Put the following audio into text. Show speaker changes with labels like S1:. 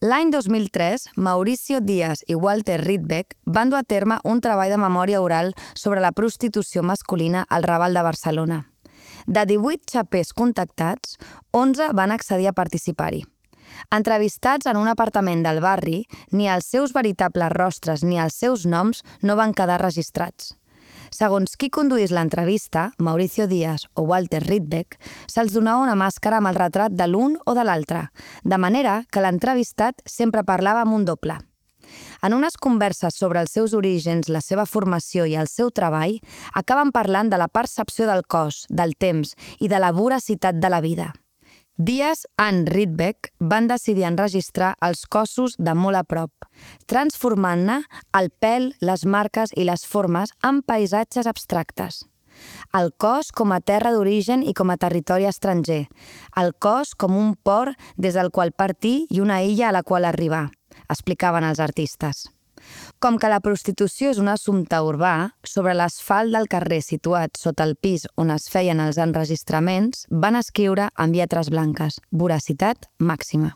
S1: L'any 2003, Mauricio Díaz i Walter Rydbeck van dur a terme un treball de memòria oral sobre la prostitució masculina al Raval de Barcelona. De 18 xapers contactats, 11 van accedir a participar-hi. Entrevistats en un apartament del barri, ni els seus veritables rostres ni els seus noms no van quedar registrats. Segons qui conduís l'entrevista, Mauricio Díaz o Walter Rydbeck, se'ls donava una màscara amb el retrat de l'un o de l'altre, de manera que l'entrevistat sempre parlava amb un doble. En unes converses sobre els seus orígens, la seva formació i el seu treball, acaben parlant de la percepció del cos, del temps i de la voracitat de la vida. Díaz i Rydbeck van decidir enregistrar els cossos de molt a prop, transformant-ne el pèl, les marques i les formes en paisatges abstractes. El cos com a terra d'origen i com a territori estranger. El cos com un port des del qual partir i una illa a la qual arribar, explicaven els artistes. Com que la prostitució és un assumpte urbà, sobre l'asfalt del carrer situat sota el pis on es feien els enregistraments, van escriure amb lletres blanques: voracitat màxima.